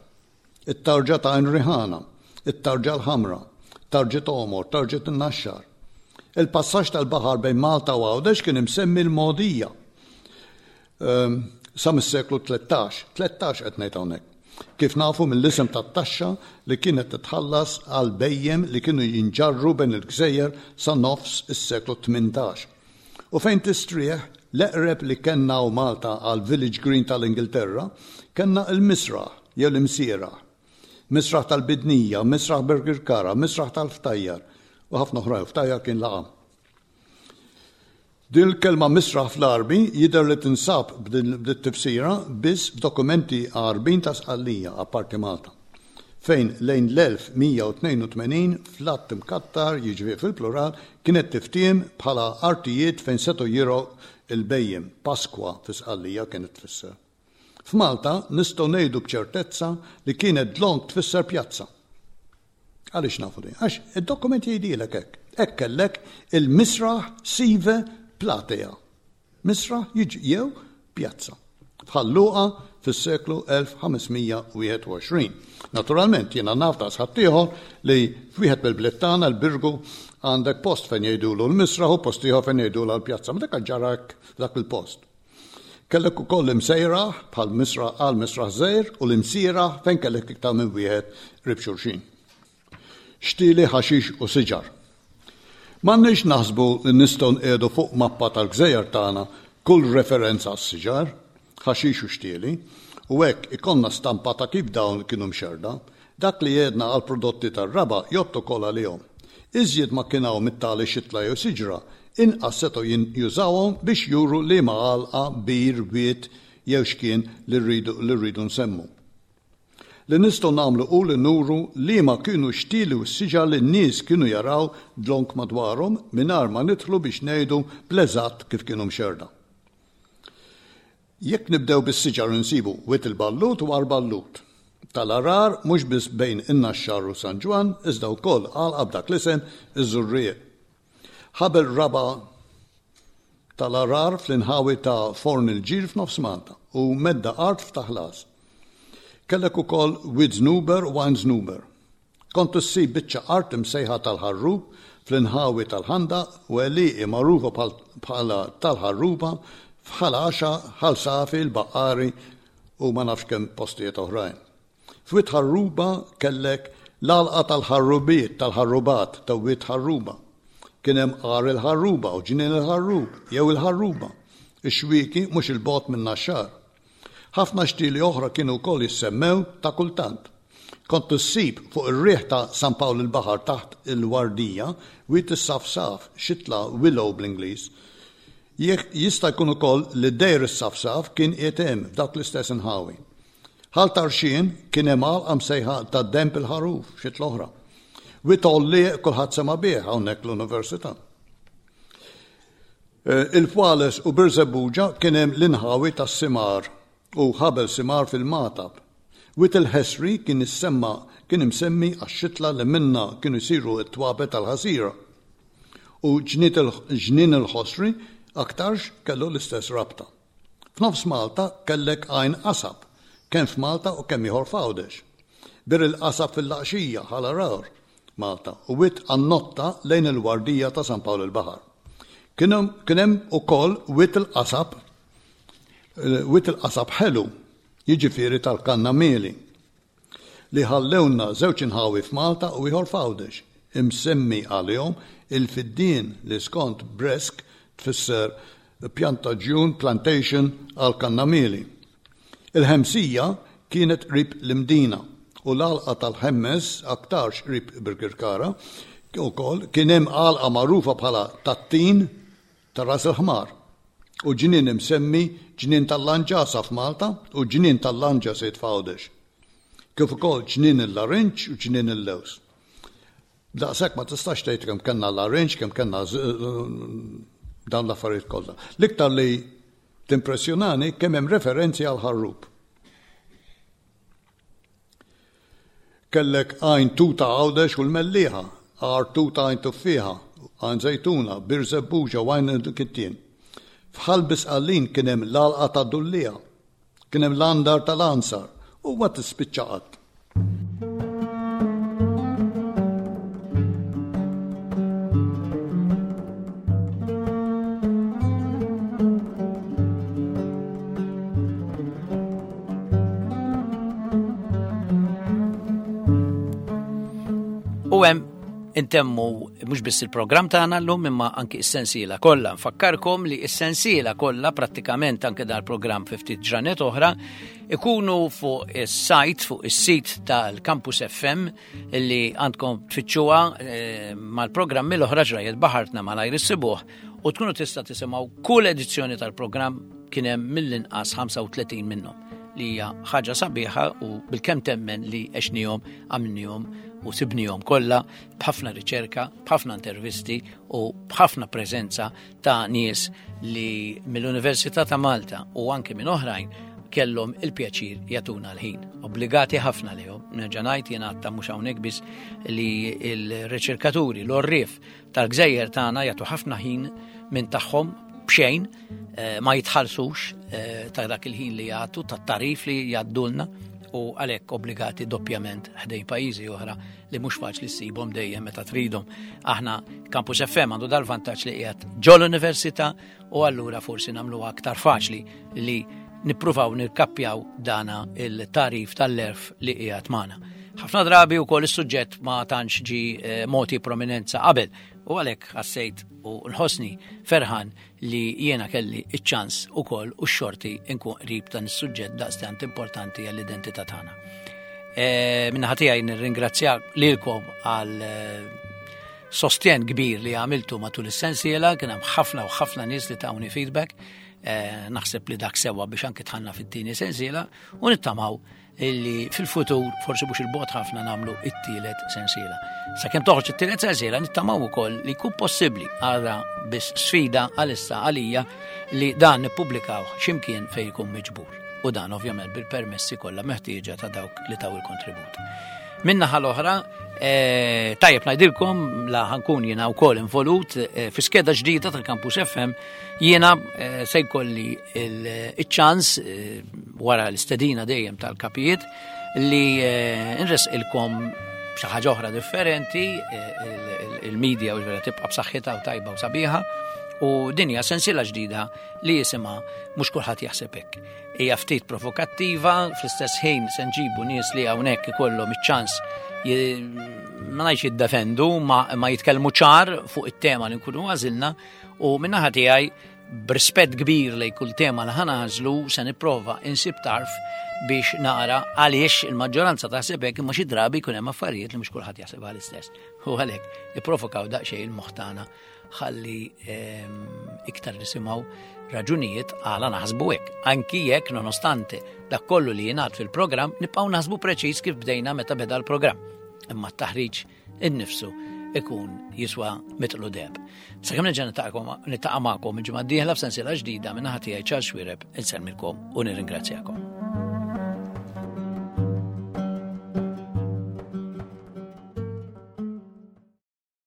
It-tarġa ta' Għajn Riħana, it-tarġa l-Ħamra, tarġet Għomor, tarġet in-Naxxar. Il-passaġġ tal-baħar bejn Malta u Għawdex kien imsemmi l-Mogħdija. Ehm, sa mis-seklu 13, 13 qed ngħid hawnhekk. Kif nafu mill-isem tat-taxxa li kienet titħallas għal bhejjem li kienu jinġarru bejn il-gżejjer sa nofs is-seklu 18. U fejn tistrieħ, l-eqreb li kellna hawn Malta għal Village Green tal-Ingilterra, kellna il-Misraħ jew l-Imsieraħ. Misraħ tal-Bidnija, Misraħ Birkirkara, Misraħ tal-Ftajjar u ħafna oħrajn, Ftajjar kien laqam. Din il-kelma misraħ fl-Għarbi jidher li tinsab b'dit-tifsira biss f'dokumenti Għarbin ta' Sqallija, apparti Malta, fejn lejn l-1182 fl-għadd imkattar, jiġifieri fil-plural, kienet tiftiehem bħala artijiet fejn setgħu jirgħu l-bhejjem, Pasqua fi Sqallija kienet tfisser. F'Malta nistgħu ngħidu b'ċertezza li kienet dlonk tfisser pjazza. Għaliex nafu din? Għax id-dokument jgħidilek hekk. Hekk kellek il-misraħ sive platea. Misraħ jiġi jew pjazza. Bħal Luqa fis-seklu 1521. Naturalment jiena naf daqs ħaddieħor li f'wieħed mill-bliet tagħna l-Birgu għandek post fejn jgħidulu l-misraħ u post ieħor fejn jgħidulu l-pjazza. Ma dak ġara hekk f'dak il-post. Kellek ukoll l-imsejraħ bħal misraħ għal misraħ żgħir u l-imsieraħ fejn kellek iktar minn wieħed qrib xulxin. Xtieli ħaxix u siġar. M'għandniex naħsbu li nistgħu nqiegħdu fuq mappa tal-gżejjer tagħna kull referenza għas-siġar, ħaxix u xtieli, u hekk ikollna stampa ta' kif dawn kienu mxerrda. Dak li għedna għall-prodotti tar-raba' jgħodd ukoll għalihom. Iżjed ma kien hawn mit-tali xitla jew siġra, inqas setgħu jużawhom biex juru liema għalqa, bir, wied, jew x'kien li rridu li rridu nsemmu. Li nistgħu nagħmlu hu li nuru liema kienu x-xtieli u s-siġar li n-nies kienu jaraw dlonk madwarhom mingħajr ma nidħlu biex ngħidu bl-eżatt kif kienu mxerrda. Jekk nibdew bis-siġar insibu Wied il-Ballut u Għar Ballut. Tal-Għargħar mhux biss bejn in-Naxxar u San Ġwann iżda wkoll għalqa b'dak l-isem iż-Żurrieq. Ħabel raba' tal-Għargħar fl-inħawi ta' Forn il-Ġir f'nofs Malta u medda art f'Taħlas. Kellek ukoll Wied Żnuber u Għajn Żnuber. Kont issib biċċa art imsejħa tal-Ħarrub fl-inħawi tal-Ħandaq u għelieqi magħrufa bħala tal-Ħarruba f'Ħal Għaxaq, Ħal Safi, l-Baqqari u ma nafx kemm postijiet oħrajn. F'Wied Ħarruba kellek l-għalqa tal-ħarrubiet, tal-ħarrubat ta' Wied Ħarruba. Kien hemm Għar il-Ħarruba u Ġnien il-Ħarrub jew il-Ħarruba, ix-xwieki mhux 'il bogħod min-Naxxar. Ħafna xtieli oħra kienu wkoll jissemmew ta' kultant. Kont issib fuq ir-riħ ta' San Pawl il-Baħar taħt il-Wardija Wied is-Safsaf, xitla willow bl-Ingliż. Jista' jkun ukoll li Dejr is-Safsaf kien qiegħed hemm f'dawk l-istess inħawi. Ħal Tarxien kien hemm għalqa msejħa ta' Denb il-Ħaruf, xitla oħra. Wied Għollieq kulħadd sema' bih hawnhekk l-Università. Il-Fwales u Birżebbuġa kien hemm l-inħawi tas-Simar u Ħabel Simar fil-Magħtab. Wied il-Ħesri kien issemma kien imsemmi għax-xitla li minnha kienu jsiru t-twapet tal-ħasira. U Ġnien il-Ħosri aktarx kellu l-istess rabta. F'nofs Malta kellek Għajn Qasab, kemm f'Malta u kemm ieħor f'Għawdex. Bir il-Qasab fil-Laqxija, Ħal Għargħur, Malta, u Wied Qannotta lejn il-Wardija ta' San Pawl il-Baħar. Kien hemm ukoll Wied il-Qasab, Wied il-Qasab Ħelu, jiġifieri tal-Kannamieli. li ħallewlna żewġ inħawi f'Malta u ieħor f'Għawdex, imsemmi għalihom il-fiddien li skont Bresk tfisser pjantaġġjun, plantation, għall-kannamieli. Il-Ħemsija kienet qrib l-Imdina u l-għalqa tal-Ħemmes aktarx qrib Birkirkara wkoll kien hemm għalqa magħrufa bħala tat-Tin ta' Ras il-Ħmar u ġnien imsemmi Ġnien tal-Lanġasa f'Malta u Ġnien tal-Lanġasit f'Għawdex, kif ukoll Ġnien il-Larinġ u Ġnien il-Lewż. Daqshekk ma tistax tgħid kemm kellna larinġ, kemm kellna dawn l-affarijiet kollha. L-iktar li timpressjonani kemm hemm referenzi għal ħarrub. Kellek Għajn Tuta Għawdex u l-Mellieħa, Għar Tuta Għajn Tuffieħa, Għajn Żejtuna, Bir Żebbuġa u Għajn il-Kittien. F'Ħal Bisqallin kien hemm l-Għalqa tad-Dulliegħa. Kien hemm l-Għandar tal-Għansar u ma tispiċċa qatt. U hemm intemmu mhux biss il-programm tagħna llum imma anki s-sensiela kollha. Nfakkarkom li s-sensiela kollha prattikament anke dal-programm fi ftit ġranet oħra ikunu fuq is-sajt, fuq is-sit tal-Campus FM li għandkom tfittxuha eh, mal-programmi l-oħra ġrajiet baħartna malajr issibuh u tkunu tista' tisimgħu kull edizzjoni tal-programm kien hemm mill-inqas 35 minnhom li hija ħaġa sabiħa u bilkemm temmen li għexnihom, għamilnihom u sibnihom kollha b'ħafna riċerka, b'ħafna intervisti u b'ħafna preżenza ta' nies li mill-Università ta' Malta u anke minn oħrajn kellhom il-pjaċir jagħtuna l-ħin. Obbligati ħafna lihom. Nerġa' ngħid jien għadta mhux hawnhekk biss li l-riċerkaturi, l-orrief tal-gżejjer tagħna jagħtu ħafna ħin minn tagħhom b'xejn eh, ma jitħallsux eh, ta' dak il-ħin li jagħtu, tat-tarif li jgħaddulna u għalhekk obbligati doppjament ħdejn pajjiżi oħra li mhux faċli ssibhom dejjem meta tridhom. Aħna Campus FM għandu dal-vantaġġ li qiegħed ġol-università u allura forsi nagħmluha aktar faċli li nippruvaw nirkappjaw dana il-tarif tal-erf li qiegħed magħna. Ħafna drabi wkoll is-suġġett ma tantx ġi eh, moti prominenza qabel u għalhekk ħassejt u nħossni ferħan li jiena kelli iċ-ċans ukoll u x-xorti nkun qrib dan is-suġġett daqstant importanti għall-identità tagħna. E, Minnaħa tiegħi nirringrazzja lilkom għal eh, sostjen kbir li għamiltu matul is-sensiela, kien hemm ħafna u ħafna nies li tawni feedback. Eh, naħseb li dak sewa biex anki tħanna fit-tieni sensiela u nittamaw illi fil-futur forsi mhux il-bot ħafna nagħmlu it-tielet sensiela. Sakemm toħroġ it-tielet sensiela nittamaw ukoll li jkun possibbli għadha biss sfida għalissa għalija li dan nippubblikaw x'imkien fejn ikun miġbur. U dan ovvjament bil-permessi kollha meħtieġa ta' dawk li taw il-kontribut. Minnaħa l-oħra, eh, tajjeb ngħidilkom la ħankun jiena wkoll involut eh, fi skeda ġdida tal-Campus FM Jiena eh, se jkolli il-ċans eh, wara l-istedina dejjem tal-kapijiet li eh, nresqilkom xi ħaġa oħra differenti, il-media u vera tibqa' b'saħħitha u tajba u sabiħa u dinja sensiela ġdida li jisimha mhux kulħadd jaħseb hekk. Hija ftit provokattiva, fl-istess ħin se nġibu nies li hawnhekk ikollhom iċ-ċans ma ngħidx jiddefendu ma, ma jitkellmu ċar fuq it-tema li nkunu għażilna U minnaħa tiegħi b'rispett kbir lej kull tema li ħanażlu se nipprova insib tarf biex nara għaliex il-maġġoranza taħseb hekk imma xi drabi jkun hemm affarijiet li mhux kulħadd jaħseb għal-istess. U għalhekk nipprovokaw daqsxejn il-moħħ tagħna ħalli ehm, iktar nisimgħu raġunijiet għala naħsbu hekk. Anki jekk nonostante dak kollu li jingħad fil-programm nibqgħu naħsbu preċiż kif bdejna meta beda l-programm. Imma t-taħriġ innifsu ikun jiswa mitlu deb. Sakemm nerġa' niltaqa' magħkom il-ġimgħa d-dieħla f'sensiela ġdida minn naħa tiegħi Charles Xuereb insellmilkom u nirringrazzjakom.